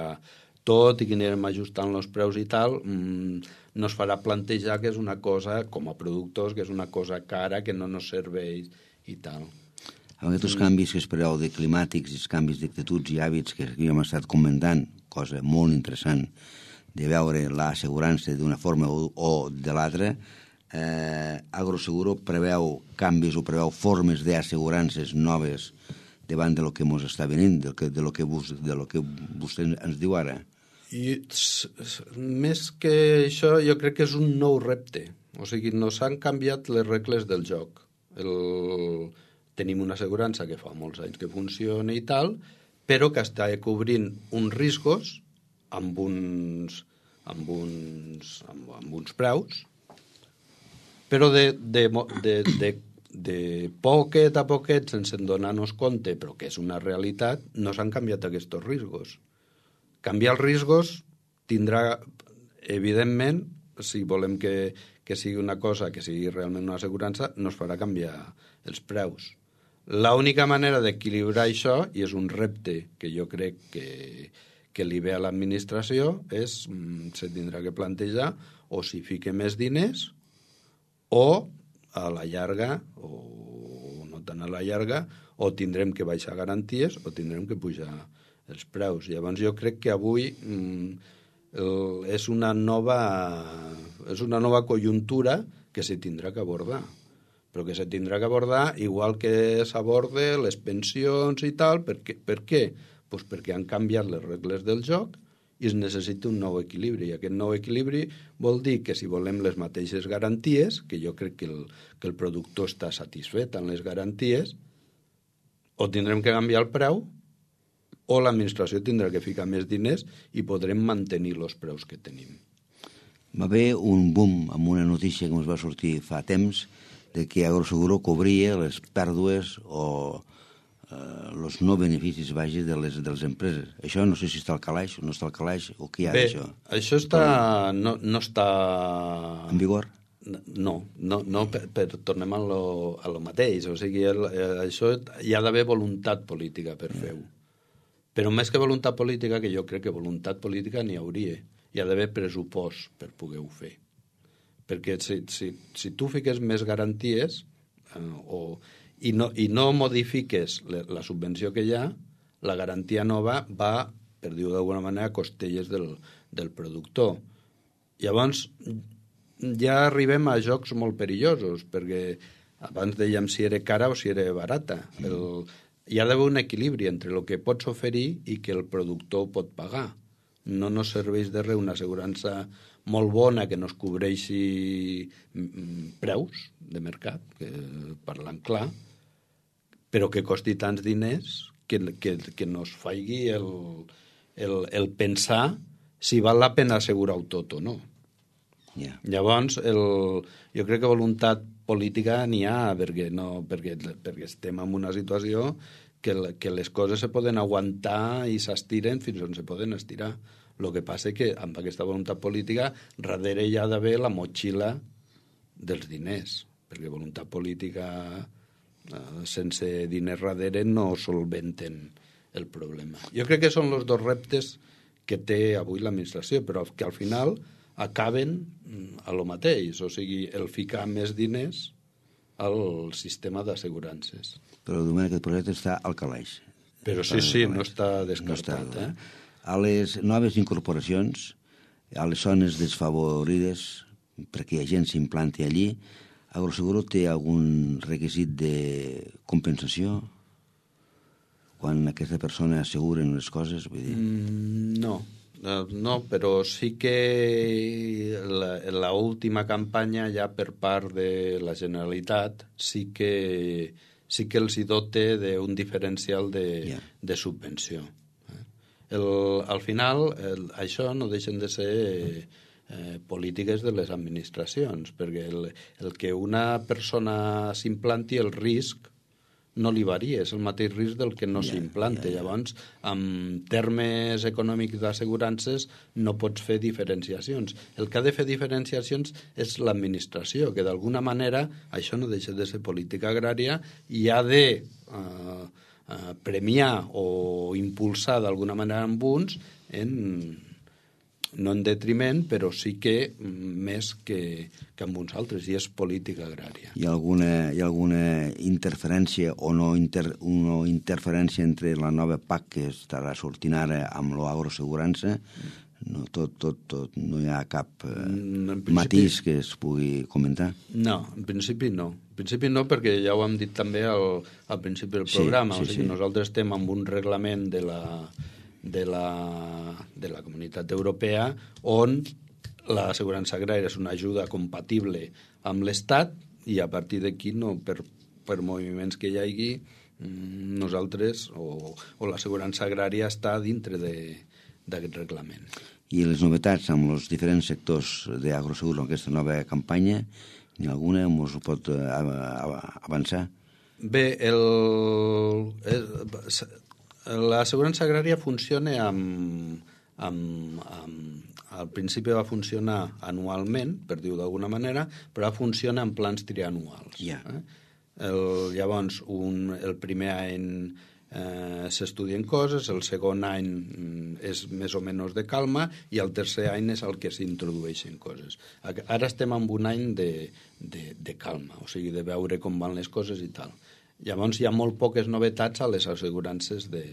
tot i que anirem ajustant els preus i tal, mmm, no es farà plantejar que és una cosa, com a productors, que és una cosa cara, que no ens serveix i tal. Amb aquests mm. canvis que espereu de climàtics i els canvis d'actituds i hàbits que hem estat comentant, cosa molt interessant, de veure l'assegurança d'una forma o, o de l'altra, eh, Agroseguro preveu canvis o preveu formes d'assegurances noves davant de lo que ens està venint, de lo que, de lo que, vos, de lo que vostè ens diu ara. I més que això, jo crec que és un nou repte. O sigui, no s'han canviat les regles del joc. El... Tenim una assegurança que fa molts anys que funciona i tal, però que està cobrint uns riscos amb uns, amb uns, amb, amb uns preus, però de, de, de, de, de poquet a poquet, sense donar-nos compte, però que és una realitat, no s'han canviat aquests riscos. Canviar els riscos tindrà, evidentment, si volem que, que sigui una cosa, que sigui realment una assegurança, no es farà canviar els preus. L'única manera d'equilibrar això, i és un repte que jo crec que, que li ve a l'administració, és, se tindrà que plantejar o si fique més diners o a la llarga, o no tant a la llarga, o tindrem que baixar garanties o tindrem que pujar els preus. Llavors jo crec que avui mm, el, és una nova és una nova conjuntura que se tindrà que abordar, però que se tindrà que abordar igual que s'aborde les pensions i tal. Per què? Per què? Pues perquè han canviat les regles del joc i es necessita un nou equilibri. I aquest nou equilibri vol dir que si volem les mateixes garanties, que jo crec que el, que el productor està satisfet amb les garanties, o tindrem que canviar el preu o l'administració tindrà que ficar més diners i podrem mantenir els preus que tenim. Va haver un boom amb una notícia que ens va sortir fa temps de que Agroseguro cobria les pèrdues o els eh, no beneficis vagi de les, de les empreses. Això no sé si està al calaix o no està al calaix o què hi ha d'això. Bé, això està, no, no està... En vigor? No, no, no per, per tornem a lo, a lo mateix. O sigui, el, això hi ha d'haver voluntat política per yeah. fer-ho. Però més que voluntat política, que jo crec que voluntat política n'hi hauria. Hi ha d'haver pressupost per poder-ho fer. Perquè si, si, si tu fiques més garanties eh, o, i, no, i no modifiques la, la subvenció que hi ha, la garantia nova va, per dir-ho d'alguna manera, a costelles del, del productor. Llavors, ja arribem a jocs molt perillosos, perquè abans dèiem si era cara o si era barata. El, hi ha d'haver un equilibri entre el que pots oferir i que el productor pot pagar. No nos serveix de res una assegurança molt bona que no es cobreixi preus de mercat, que, parlant clar, però que costi tants diners que, que, que no es faigui el, el, el pensar si val la pena assegurar-ho tot o no. Yeah. Llavors, el, jo crec que voluntat política n'hi ha, perquè, no, perquè, perquè estem en una situació que, que les coses se poden aguantar i s'estiren fins on se poden estirar. El que passa que amb aquesta voluntat política darrere hi ha d'haver la motxilla dels diners, perquè voluntat política eh, sense diners darrere no solventen el problema. Jo crec que són els dos reptes que té avui l'administració, però que al final acaben a lo mateix, o sigui, el ficar més diners al sistema d'assegurances. Però de moment aquest projecte està al calaix. Però sí, sí, no està descartat. No està, eh? A les noves incorporacions, a les zones desfavorides, perquè la gent s'implanti allí, Agroseguro té algun requisit de compensació quan aquesta persona asseguren les coses? Vull dir... Mm, no. No, però sí que la, la última campanya ja per part de la Generalitat sí que, sí que els hi dote d'un diferencial de, yeah. de subvenció. El, al final, el, això no deixen de ser eh, polítiques de les administracions, perquè el, el que una persona s'implanti, el risc no li varia, és el mateix risc del que no yeah, s'implanta. Yeah, yeah. Llavors, en termes econòmics d'assegurances no pots fer diferenciacions. El que ha de fer diferenciacions és l'administració, que d'alguna manera, això no deixa de ser política agrària, i ha de eh, eh, premiar o impulsar d'alguna manera amb uns en... no en detriment, però sí que més que, que amb uns altres, i és política agrària. Hi ha alguna, hi ha alguna interferència o no, inter, no interferència entre la nova P A C que estarà sortint ara amb l'agroassegurança? No, tot, tot, tot. No hi ha cap eh, principi... matís que es pugui comentar? No, en principi no. En principi no, perquè ja ho hem dit també al, al principi del programa. Sí, sí, o sigui, sí. Nosaltres estem amb un reglament de la, de la, de la Comunitat Europea on l'assegurança agrària és una ajuda compatible amb l'Estat i a partir d'aquí, no, per, per moviments que hi hagi, nosaltres o, o l'assegurança agrària està dintre d'aquest reglament. I les novetats amb els diferents sectors d'Agrosegur en aquesta nova campanya, ni alguna ens ho pot avançar? Bé, el, l'assegurança agrària funciona amb, amb, amb... Al principi va funcionar anualment, per dir-ho d'alguna manera, però funciona en plans trianuals. Yeah. Eh? El, llavors, un, el primer any eh, s'estudien coses, el segon any és més o menys de calma i el tercer any és el que s'introdueixen coses. Ara estem en un any de, de, de calma, o sigui, de veure com van les coses i tal. Llavors hi ha molt poques novetats a les assegurances de,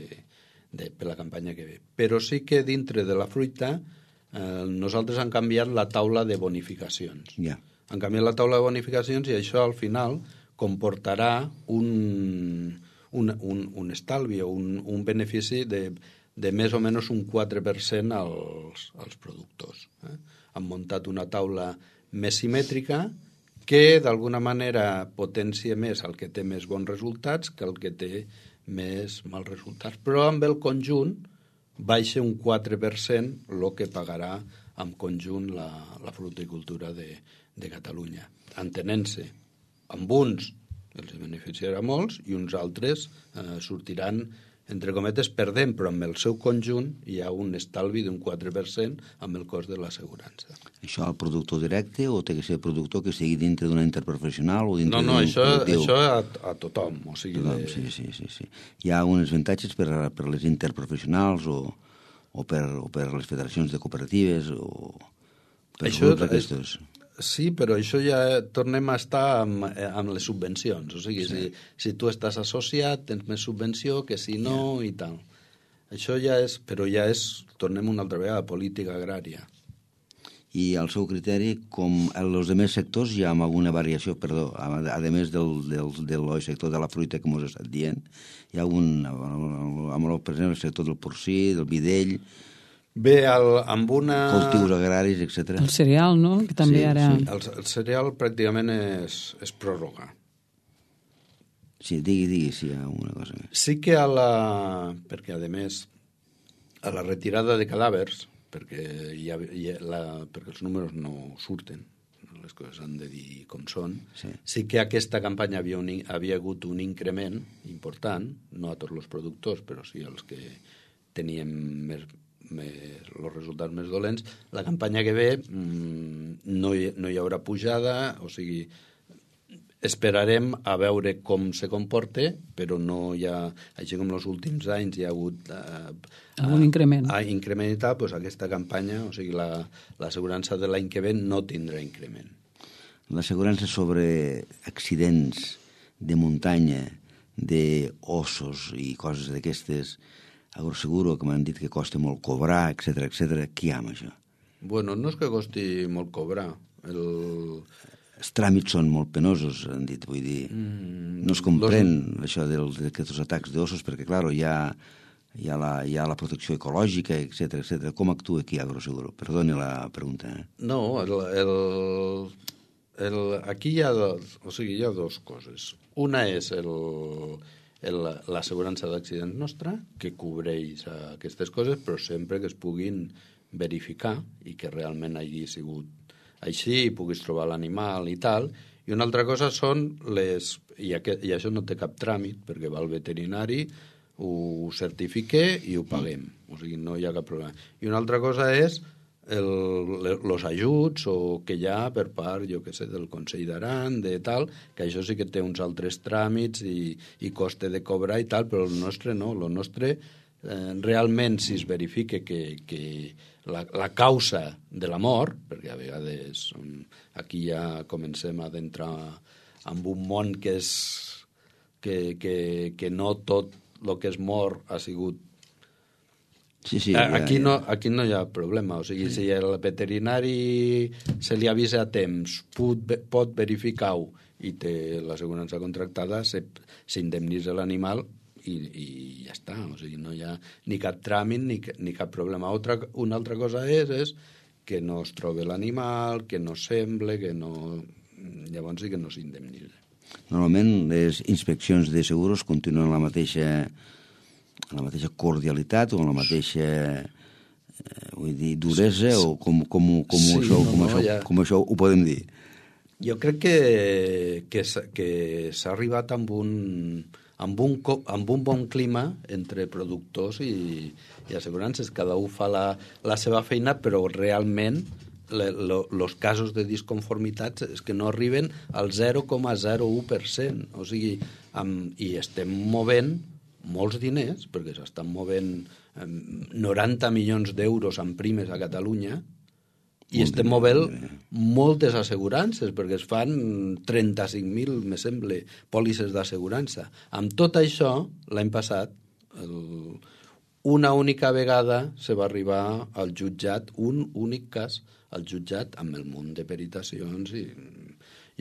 de, per la campanya que ve. Però sí que dintre de la fruita eh, nosaltres hem canviat la taula de bonificacions. Yeah. Han canviat la taula de bonificacions i això al final comportarà un, un, un, un estalvi o un, un benefici de, de més o menys un quatre per cent als, als productors. Eh? Han muntat una taula més simètrica que d'alguna manera potencia més el que té més bons resultats que el que té més mals resultats. Però amb el conjunt baixa un quatre per cent el que pagarà en conjunt la, la fruticultura de, de Catalunya, entenent-se. Amb uns els beneficiarà molts i uns altres eh, sortiran, entre cometes, perdent, però amb el seu conjunt hi ha un estalvi d'un quatre per cent amb el cost de l'assegurança. Això al productor directe o té que ser productor que estigui dintre d'una interprofessional o dintre no, no, d'un això, col·lectiu? això a, a tothom. O sigui, Tothom, de... sí, sí, sí, sí. Hi ha uns avantatges per, per les interprofessionals o, o, per, o per les federacions de cooperatives o per això grups d'aquestos? Sí, però això ja tornem a estar amb, amb les subvencions. O sigui, sí. si, si tu estàs associat, tens més subvenció que si no yeah. i tal. Això ja és, però ja és, tornem una altra vegada, política agrària. I al seu criteri, com en els altres sectors, hi ha alguna variació, perdó, a, a més del, del, del sector de la fruita que m'ho has estat dient, hi ha algun, amb el, per exemple, el sector del porcí, del videll... Bé, el, amb una... cultius agraris, etcètera. El cereal, no? Que també sí, ara... Sí. El, el cereal pràcticament és, és pròrroga. Sí, digui, digui, si hi ha una cosa més. Sí que a la... perquè, a més, a la retirada de cadàvers, perquè, hi ha, hi ha la, perquè els números no surten, les coses han de dir com són, sí, sí que aquesta campanya havia, un, havia hagut un increment important, no a tots els productors, però sí als que teníem més... Més, els resultats més dolents. La campanya que ve mmm, no, hi, no hi haurà pujada, o sigui, esperarem a veure com se comporta, però no hi ha, així com els últims anys hi ha hagut eh, algun increment. A, a increment i tal, doncs aquesta campanya, o sigui, l'assegurança la, de l'any que ve no tindrà increment. L'assegurança sobre accidents de muntanya, d'ossos i coses d'aquestes, Agroseguro, que m'han dit que costa molt cobrar, etcètera, etcètera, qui hi ha amb això? Bueno, no és que costi molt cobrar. El... Els tràmits són molt penosos, han dit, vull dir. Mm, no es comprèn los... això d'aquests atacs d'ossos, perquè, clar, hi ha, hi, ha la, hi ha la protecció ecològica, etcètera, etcètera. Com actua aquí Agroseguro? Perdoni la pregunta. Eh? No, el, el, el, aquí hi ha, dos, o sigui, hi ha dues coses. Una és el... l'assegurança d'accidents nostra, que cobreix aquestes coses, però sempre que es puguin verificar i que realment hagi sigut així i puguis trobar l'animal i tal. I una altra cosa són les... I, aquest, i això no té cap tràmit, perquè va al veterinari, ho certifique i ho paguem. O sigui, no hi ha cap problema. I una altra cosa és els ajuts o que hi ha per part, jo què sé, del Consell d'Aran, de tal, que això sí que té uns altres tràmits i, i coste de cobrar i tal, però el nostre no, el nostre eh, realment si es verifique que, que la, la causa de la mort, perquè a vegades aquí ja comencem a adentrar en un món que és que, que, que no tot el que és mort ha sigut Sí, sí, ja, aquí, ja. no, aquí no hi ha problema. O sigui, si el veterinari se li avisa a temps, pot, pot verificar-ho i té l'assegurança contractada, s'indemnitza l'animal i, i ja està. O sigui, no hi ha ni cap tràmit ni, ni cap problema. Otra, una altra cosa és, és que no es troba l'animal, que no sembla, que no... Llavors sí que no s'indemnitza. Normalment les inspeccions de seguros continuen la mateixa, la mateixa cordialitat o la mateixa eh, vull dir, duresa sí, sí. o com, com, com, sí, això, com, no, això, ja. com això ho podem dir? Jo crec que, que, que s'ha arribat amb un, amb, un, amb un bon clima entre productors i, i assegurances. Cada un fa la, la seva feina, però realment els casos de disconformitats és que no arriben al zero coma zero u per cent. O sigui, amb, i estem movent molts diners, perquè s'estan movent eh, noranta milions d'euros en primes a Catalunya, i Molt estem movent moltes assegurances, perquè es fan trenta-cinc mil, me sembla, pòlisses d'assegurança. Amb tot això, l'any passat, el, una única vegada se va arribar al jutjat, un únic cas, al jutjat amb el munt de peritacions i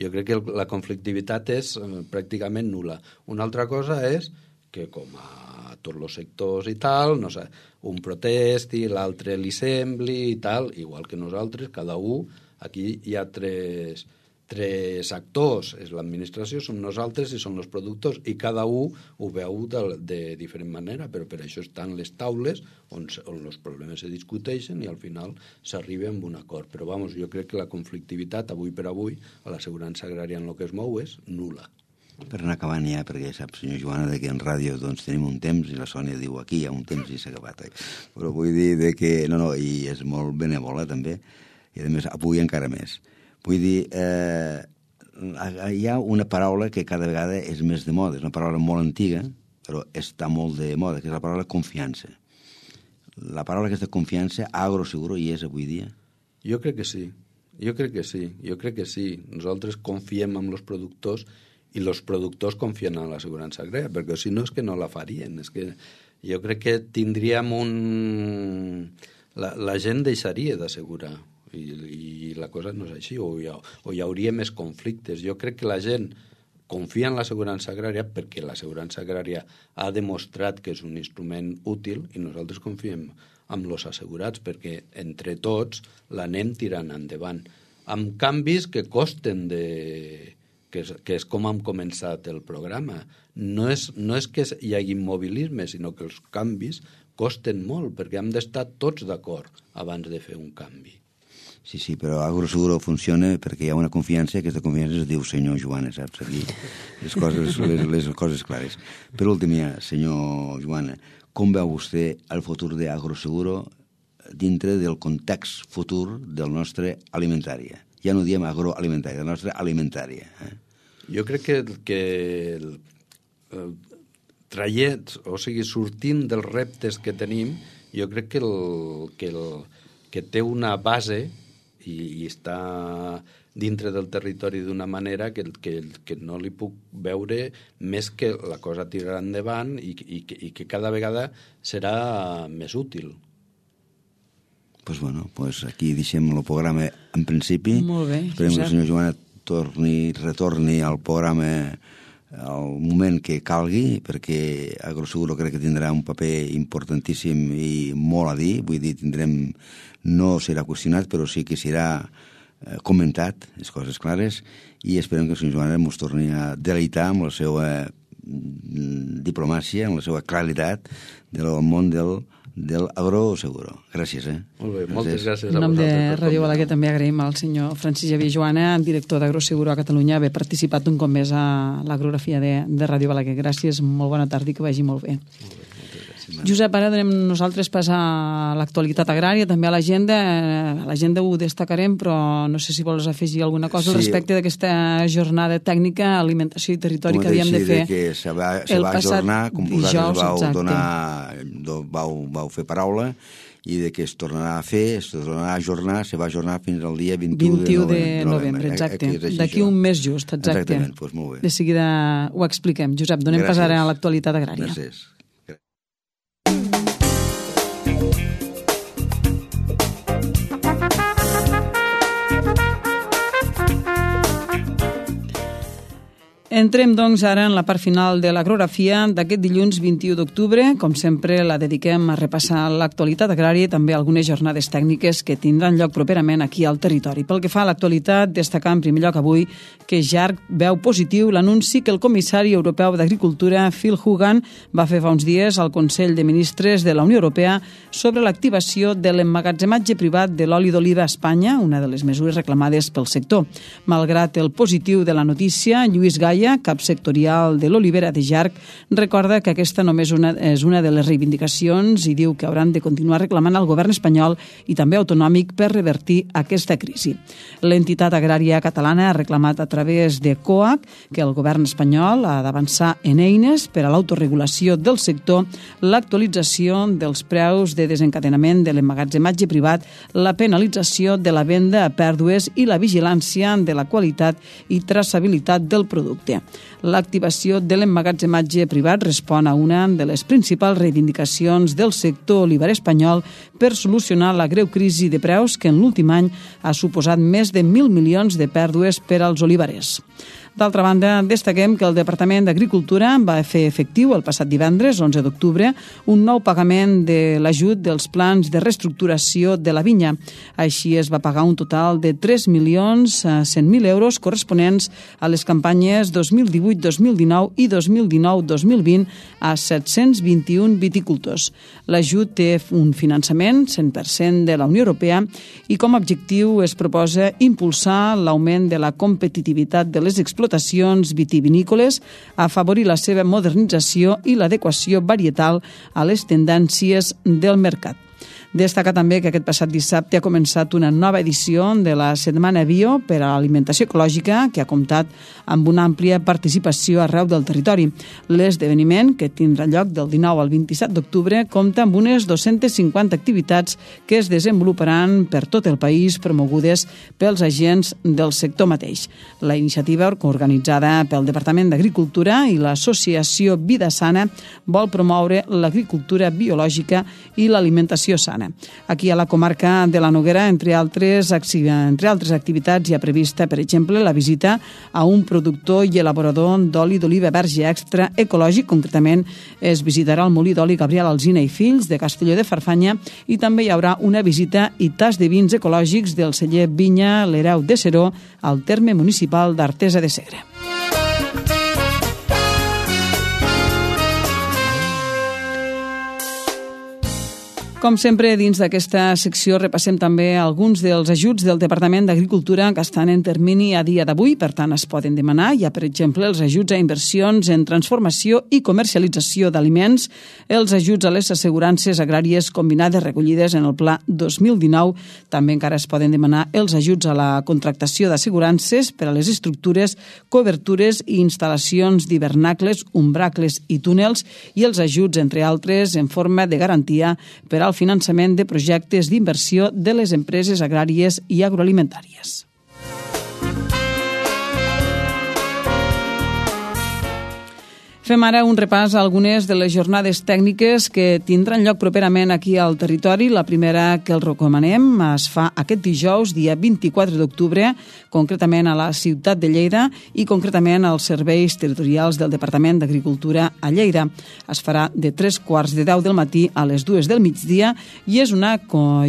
jo crec que la conflictivitat és eh, pràcticament nul·la. Una altra cosa és que com a tots els sectors i tal, no sé, un protesti, l'altre li sembli i tal, igual que nosaltres, cada un, aquí hi ha tres, tres actors, és l'administració, som nosaltres i són els productors, i cada un ho veu de, de diferent manera, però per això estan les taules on, on els problemes se discuteixen i al final s'arriba amb un acord. Però vamos, jo crec que la conflictivitat avui per avui a l'assegurança agrària en el que es mou és nul·la. Per anar acabant ja, perquè sap, senyor Joana, que en ràdio doncs, tenim un temps i la Sònia diu aquí hi ha un temps i s'ha acabat. Eh? Però vull dir de que, no, no, i és molt benèvola també, i a més avui encara més. Vull dir, eh, hi ha una paraula que cada vegada és més de moda, és una paraula molt antiga, però està molt de moda, que és la paraula confiança. La paraula aquesta confiança, agroseguro, hi és avui dia? Jo crec que sí, jo crec que sí, jo crec que sí. Nosaltres confiem en els productors i els productors confien en l'assegurança agrària, perquè si no és que no la farien. És que jo crec que tindríem un... La, la gent deixaria d'assegurar. I, i la cosa no és així, o hi, ha, o hi hauria més conflictes. Jo crec que la gent confia en l'assegurança agrària perquè l'assegurança agrària ha demostrat que és un instrument útil i nosaltres confiem en els assegurats perquè entre tots l'anem tirant endavant. Amb canvis que costen de... que és, que és com hem començat el programa. No és, no és que hi hagi immobilisme, sinó que els canvis costen molt perquè hem d'estar tots d'acord abans de fer un canvi. Sí, sí, però agroseguro funciona perquè hi ha una confiança, aquesta confiança es diu senyor Joana, saps? Aquí les coses, les, les coses clares. Per últim, ja, senyor Joana, com veu vostè el futur d'agroseguro dintre del context futur del nostre alimentària? Ja no diem agroalimentària, del nostre alimentària. Eh? Jo crec que, que el, el, traient, o sigui, sortint dels reptes que tenim, jo crec que, el, que, el, que té una base i, i està dintre del territori d'una manera que, que, que no li puc veure més que la cosa tirarà endavant i, i, i que cada vegada serà més útil. Pues bueno, pues aquí deixem el programa en principi. Molt bé. Esperem que la senyora Joana torni, retorni al programa al moment que calgui, perquè agroseguro crec que tindrà un paper importantíssim i molt a dir. Vull dir, tindrem, no serà qüestionat, però sí que serà eh, comentat, les coses clares, i esperem que la senyora Joana ens torni a deleitar amb la seva diplomàcia, amb la seva claritat del món del del agroseguro. Gràcies, eh? Molt bé, moltes gràcies a vosaltres. En nom de Ràdio Balaguer també agraïm al senyor Francis Xavier Joana, director d'Agroseguro a Catalunya, haver participat un cop més a l'agorafia de, de Ràdio Balaguer. Gràcies, molt bona tarda i que vagi molt bé. Molt bé, moltes gràcies. Josep, ara donem nosaltres pas a l'actualitat agrària, també a l'agenda. A l'agenda ho destacarem, però no sé si vols afegir alguna cosa sí. respecte d'aquesta jornada tècnica, alimentació i territori que havíem de fer. Que se va, se va ajornar, com vosaltres vau exacte. donar, vau, vau fer paraula, i de que es tornarà a fer, es tornarà a ajornar, se va ajornar fins al dia vint-i-u de novembre. de novembre, exacte. D'aquí un mes just, exacte. Exactament, doncs molt bé. De seguida ho expliquem. Josep, donem pas ara a l'actualitat agrària. Gràcies. Entrem, doncs, ara en la part final de l'agrografia d'aquest dilluns vint-i-u d'octubre. Com sempre, la dediquem a repassar l'actualitat agrària i també algunes jornades tècniques que tindran lloc properament aquí al territori. Pel que fa a l'actualitat, destacar en primer lloc avui que Jarc veu positiu l'anunci que el comissari europeu d'Agricultura, Phil Hogan, va fer fa uns dies al Consell de Ministres de la Unió Europea sobre l'activació de l'emmagatzematge privat de l'oli d'oliva a Espanya, una de les mesures reclamades pel sector. Malgrat el positiu de la notícia, Lluís Gaia, cap sectorial de l'olivera de Jarc, recorda que aquesta només una, és una de les reivindicacions i diu que hauran de continuar reclamant al govern espanyol i també autonòmic per revertir aquesta crisi. L'entitat agrària catalana ha reclamat a través de COAC que el govern espanyol ha d'avançar en eines per a l'autoregulació del sector, l'actualització dels preus de desencadenament de l'emmagatzematge privat, la penalització de la venda a pèrdues i la vigilància de la qualitat i traçabilitat del producte. L'activació de l'emmagatzematge privat respon a una de les principals reivindicacions del sector oliver espanyol per solucionar la greu crisi de preus que en l'últim any ha suposat més de mil milions de pèrdues per als olivarers. D'altra banda, destaquem que el Departament d'Agricultura va fer efectiu el passat divendres, onze d'octubre, un nou pagament de l'ajut dels plans de reestructuració de la vinya. Així es va pagar un total de tres milions cent mil euros corresponents a les campanyes dos mil divuit dos mil dinou i dos mil dinou dos mil vint a set-cents vint-i-un viticultors. L'ajut té un finançament cent per cent de la Unió Europea i com a objectiu es proposa impulsar l'augment de la competitivitat de les explotacions explotacions vitivinícoles, afavorir la seva modernització i l'adequació varietal a les tendències del mercat. Destaca també que aquest passat dissabte ha començat una nova edició de la Setmana Bio per a l'Alimentació Ecològica, que ha comptat amb una àmplia participació arreu del territori. L'esdeveniment, que tindrà lloc del dinou al vint-i-set d'octubre, compta amb unes dues-centes cinquanta activitats que es desenvoluparan per tot el país, promogudes pels agents del sector mateix. La iniciativa, organitzada pel Departament d'Agricultura i l'Associació Vida Sana, vol promoure l'agricultura biològica i l'alimentació sana. Aquí a la comarca de la Noguera, entre altres, entre altres activitats, hi ha prevista, per exemple, la visita a un productor i elaborador d'oli d'oliva verge extra ecològic. Concretament, es visitarà el molí d'oli Gabriel Alsina i Fills de Castelló de Farfanya i també hi haurà una visita i tas de vins ecològics del celler Vinya l'Hereu de Seró al terme municipal d'Artesa de Segre. Com sempre, dins d'aquesta secció repassem també alguns dels ajuts del Departament d'Agricultura que estan en termini a dia d'avui, per tant es poden demanar. Hi ha, per exemple, els ajuts a inversions en transformació i comercialització d'aliments, els ajuts a les assegurances agràries combinades recollides en el Pla dos mil dinou. També encara es poden demanar els ajuts a la contractació d'assegurances per a les estructures, cobertures i instal·lacions d'hivernacles, umbracles i túnels i els ajuts, entre altres, en forma de garantia per al finançament de projectes d'inversió de les empreses agràries i agroalimentàries. Fem ara un repàs a algunes de les jornades tècniques que tindran lloc properament aquí al territori. La primera que els recomanem es fa aquest dijous, dia vint-i-quatre d'octubre, concretament a la ciutat de Lleida i concretament als serveis territorials del Departament d'Agricultura a Lleida. Es farà de tres quarts de deu del matí a les dues del migdia i és una,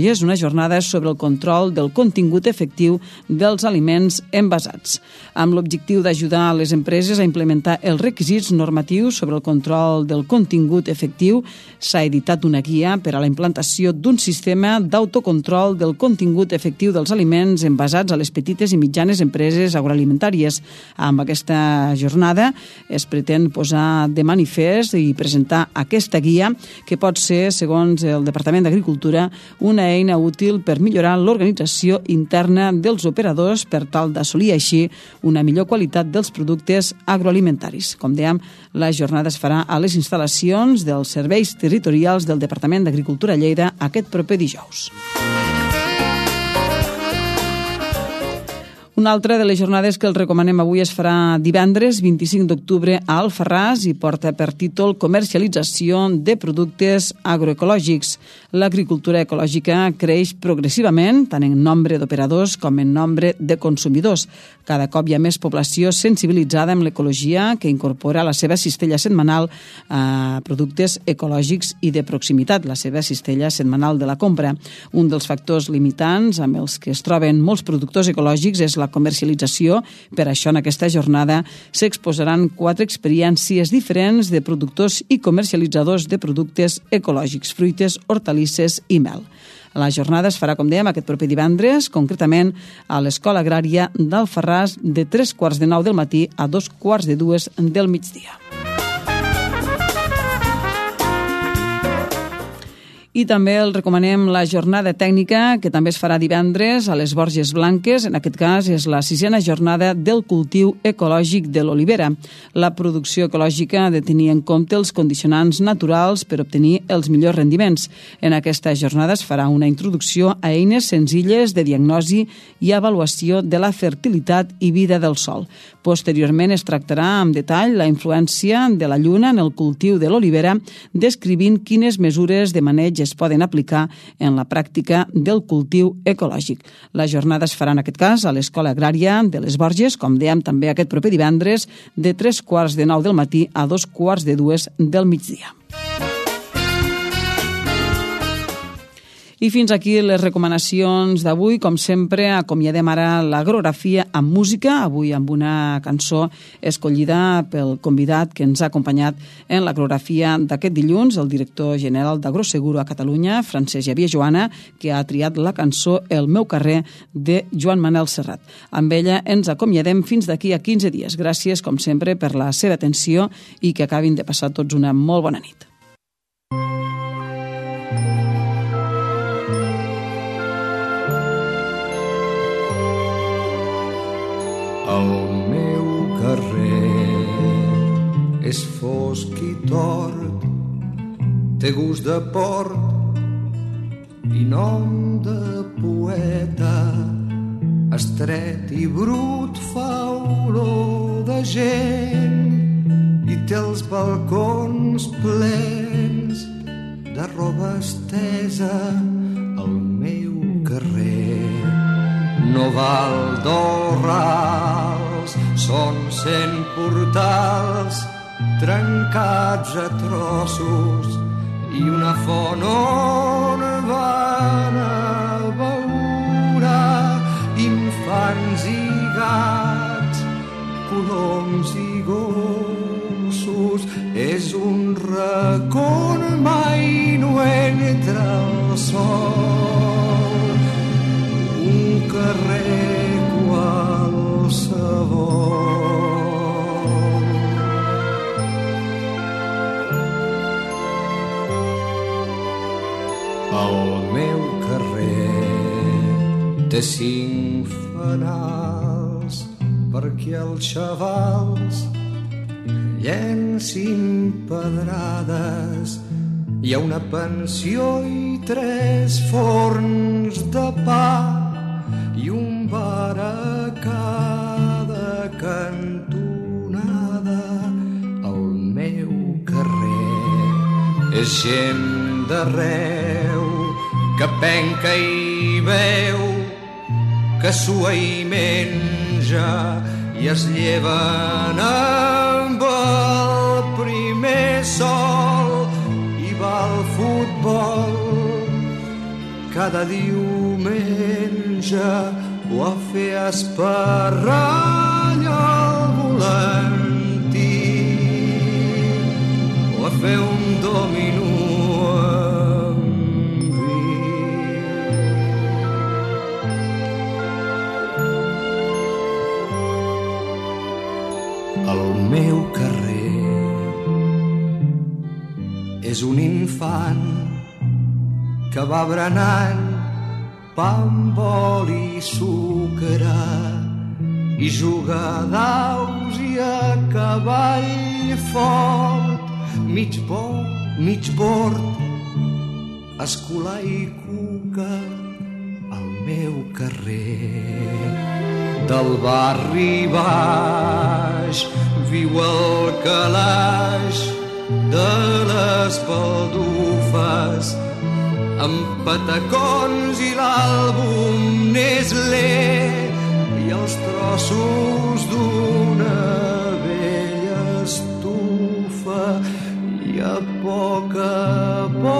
i és una jornada sobre el control del contingut efectiu dels aliments envasats, amb l'objectiu d'ajudar a les empreses a implementar els requisits normatius sobre el control del contingut efectiu. S'ha editat una guia per a la implantació d'un sistema d'autocontrol del contingut efectiu dels aliments envasats a les petites i mitjanes empreses agroalimentàries. Amb aquesta jornada es pretén posar de manifest i presentar aquesta guia que pot ser, segons el Departament d'Agricultura, una eina útil per millorar l'organització interna dels operadors per tal d'assolir així una millor qualitat dels productes agroalimentaris. Com dèiem, la jornada es farà a les instal·lacions dels serveis territorials del Departament d'Agricultura a Lleida aquest proper dijous. Una altra de les jornades que els recomanem avui es farà divendres vint-i-cinc d'octubre a Alfarràs i porta per títol Comercialització de productes agroecològics. L'agricultura ecològica creix progressivament, tant en nombre d'operadors com en nombre de consumidors. Cada cop hi ha més població sensibilitzada amb l'ecologia que incorpora a la seva cistella setmanal a productes ecològics i de proximitat, la seva cistella setmanal de la compra. Un dels factors limitants amb els que es troben molts productors ecològics és la comercialització. Per això, en aquesta jornada s'exposaran quatre experiències diferents de productors i comercialitzadors de productes ecològics, fruites, hortalisses i mel. La jornada es farà, com dèiem, aquest proper divendres, concretament a l'Escola Agrària d'Alfarràs, de tres quarts de nou del matí a dos quarts de dues del migdia. I també el recomanem la jornada tècnica, que també es farà divendres a les Borges Blanques. En aquest cas és la sisena jornada del cultiu ecològic de l'olivera. La producció ecològica ha de tenir en compte els condicionants naturals per obtenir els millors rendiments. En aquesta jornada es farà una introducció a eines senzilles de diagnosi i avaluació de la fertilitat i vida del sòl. Posteriorment es tractarà amb detall la influència de la lluna en el cultiu de l'olivera, descrivint quines mesures de maneig es poden aplicar en la pràctica del cultiu ecològic. La jornada es farà en aquest cas a l'Escola Agrària de les Borges, com dèiem també aquest proper divendres, de tres quarts de nou del matí a dos quarts de dues del migdia. I fins aquí les recomanacions d'avui. Com sempre, acomiadem ara l'Agrografia amb música, avui amb una cançó escollida pel convidat que ens ha acompanyat en l'Agrografia d'aquest dilluns, el director general d'Agroseguro a Catalunya, Francesc Xavier Joana, que ha triat la cançó El meu carrer de Joan Manel Serrat. Amb ella ens acomiadem fins d'aquí a quinze dies. Gràcies, com sempre, per la seva atenció i que acabin de passar tots una molt bona nit. El meu carrer és fosc i tort, té gust de port i nom de poeta, estret i brut fa olor de gent i té els balcons plens de roba estesa. El meu carrer no val dos rals, són cent portals trencats a trossos i una font on van a beure infants i gats, coloms i gossos. És un racó mai no entra el sol, un carrer qualsevol. El meu carrer té cinc fanals perquè els xavals llencin pedrades. Hi ha una pensió i tres forns de pa i un bar a cada cantonada. El meu carrer és gent d'arreu que penca i veu, que sua i menja i es lleven amb el primer sol i va al futbol cada diumenge o a fer esparrall al volantí o a fer un dominó amb vi. El meu carrer és un infant que va berenant pa amb oli i sucre i juga a daus i a cavall fort, mig bo, mig bord, escolar i cuca. Al meu carrer del barri baix viu el calaix de les baldufes amb patacons i l'àlbum Nestlé i els trossos d'una vella estufa i a poc a poc